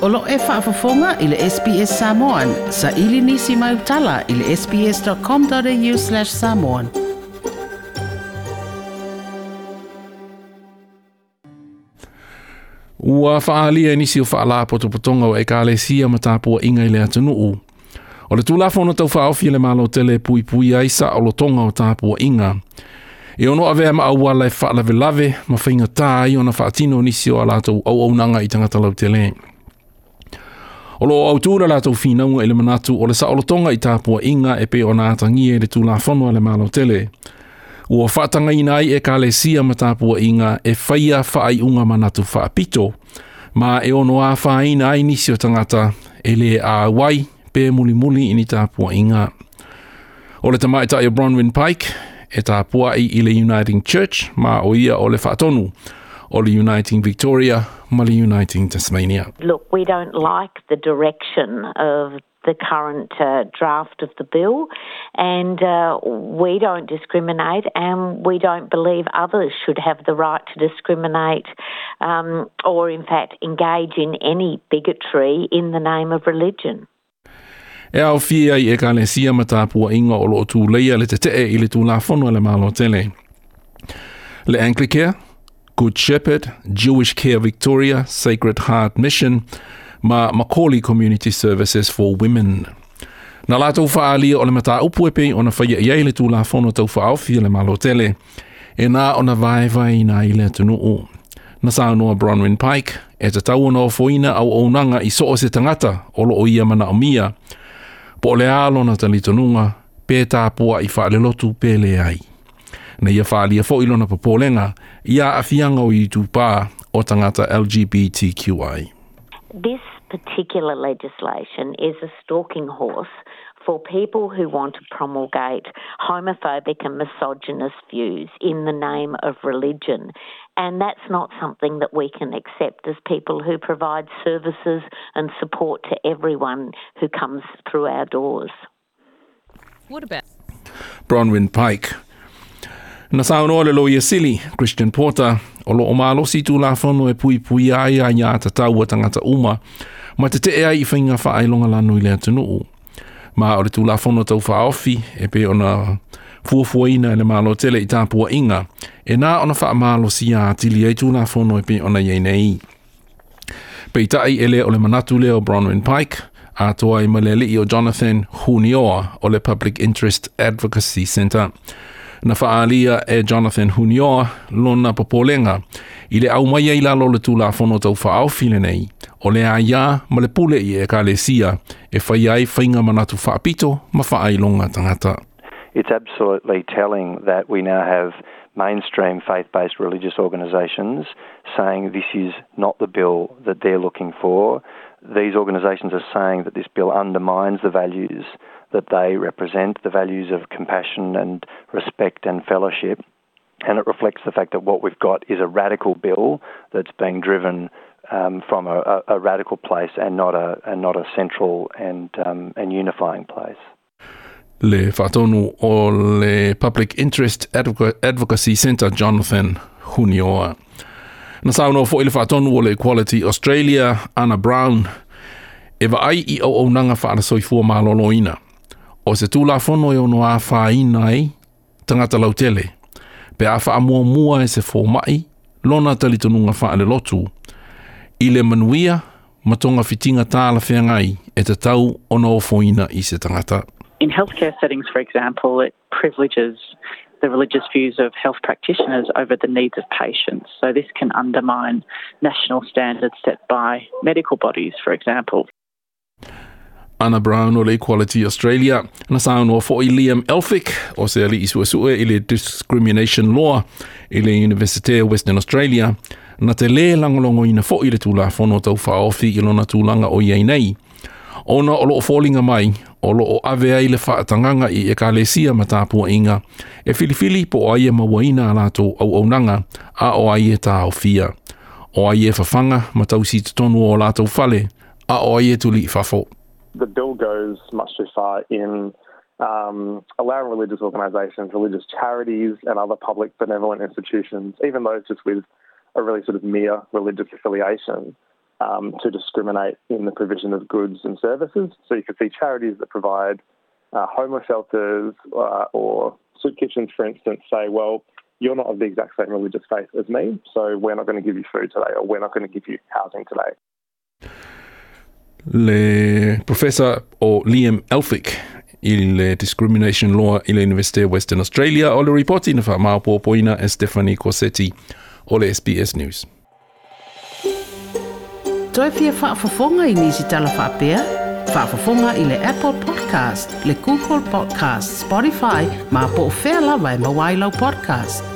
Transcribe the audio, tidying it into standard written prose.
O lo o e faafofoga i le SBS Samoan, saili nisi mau tala i le sbs.com.au/samoan. Ua faaalia e nisi o faalapotopotoga o ekalesia ma tapuaiga i le atunuu. O le Tulafono Tau Faaofi a le Malo tele e puipuia ai saolotoga o tapuaiga. E ono avea ma auala e faalavelave ma faigata ai ona faatino nisi o a latou auaunaga i tagata lautele. O lo o autu le latou finauga i le manatu o le saolotoga i tapuaiga e pei ona atagia i le Tulafono a le Malo tele. Ua faatagaina ai ekalesia ma tapuaiga e faia faaiuga manatu faapito, ma e ono afaina ai nisi o tagata e le auai pe mulimuli i ni tapuaiga. O le tamaitai o Bronwyn Pike e tapuai i le Uniting Church ma o ia o le faatonu o le Uniting Victoria ma le Uniting Tasmania. Look, we don't like the direction of the current draft of the bill, and we don't discriminate, and we don't believe others should have the right to discriminate or in fact engage in any bigotry in the name of religion. E aofia ai ekalesia ma tapuaiga o lo o tuleia le tetee i le Tulafono a le Malo tele. Le Anglicare, Good Shepherd, Jewish Care Victoria, Sacred Heart Mission, ma McCauley Community Services for Women. Na latou faaalia o le mataupu e pei ona faia i ai le Tulafono Tau Faaofi a le Malo tele, e na ona vaevaeina ai le atunuu. Na saunoa Bronwyn Pike, e tatau ona ofoina auaunaga i so o se tagata o lo o ia manaomia, po o le a lona talitonuga, pe tapuai faalelotu pe leai. Na ia faaalia foi lona popolega i aafiaga o itupa o tagata LGBTQI. This particular legislation is a stalking horse for people who want to promulgate homophobic and misogynist views in the name of religion. And that's not something that we can accept as people who provide services and support to everyone who comes through our doors. What about Bronwyn Pike. Na saunoa le Loia Sili, Christian Porter, o lo o malosi Tulafono e puipuia ai aiatatau a tagata uma, ma tetee ai i faiga faailogalanu i le atunuu. Ma o le Tulafono Tau Faaofi e pei ona fuafuaina e le Malo tele i tapuaiga, e na ona faamalosia atili ai Tulafono e pei ona i ai nei. Peitai e le o le manatu lea o Bronwyn Pike, atoa ai ma le alii o Jonathan Hunioa o le Public Interest Advocacy Centre. Na faaalia e Jonathan Hunioa lona popolega i le aumaia i lalo o le Tulafono Tau Faaofi lenei, o le aia ma le pule i ekalesia e faia ai faiga manatu faapito ma faailoga tagata. It's absolutely telling that we now have mainstream faith-based religious organisations saying this is not the bill that they're looking for. These organisations are saying that this bill undermines the values that they represent, the values of compassion and respect and fellowship. And it reflects the fact that what we've got is a radical bill that's being driven from a radical place and not a central and unifying place. Le faatonu o le Public Interest Advocacy Centre Jonathan Hunioa. Na saunoa foi le faatonu o le Equality Australia, Anna Brown, e vaai i auaunaga faale-soifua maloloina. O se Tulafono e ono afaina ai tagata lautele, pe a faamuamua e se fomai, lona talitonuga faalelotu, i le manuia ma togafitiga talafeagai e tatau ona ofoina i se tagata. In healthcare settings, for example, it privileges the religious views of health practitioners over the needs of patients. So this can undermine national standards set by medical bodies, for example. Anna Brown o le Equality Australia. Na saunoa foi Liam Elphick o se alii suesue i le Discrimination Law i le Universite o Western Australia. Na te lē lagolagoina foi le Tulafono Tau Faaofi i lona tulaga o i ai nei. Ona o lo o foliga mai, o lo o ave ai le faatagaga i ekalesia ma tapuaiga, e filifili po o ai e mauaina a latou auaunaga a o ai e taofia. O ai e fafaga ma tausi i totonu o latou fale, a o ai e tuli i fafo. The bill goes much too far in allowing religious organisations, religious charities and other public benevolent institutions, even those just with a really sort of mere religious affiliation, to discriminate in the provision of goods and services. So you could see charities that provide homeless shelters or soup kitchens, for instance, say, well, you're not of the exact same religious faith as me, so we're not going to give you food today or we're not going to give you housing today. Le Professor o Liam Elphick i le Discrimination Law i le University of Western Australia o le ripoti na whaamaopopoina e Stephanie Corsetti o le SBS News. Toe fia faafofoga i nisi tala faapea? Faafofoga i le Apple Podcast, le Google Podcast, Spotify, ma po o fea lava e maua ai lau podcast.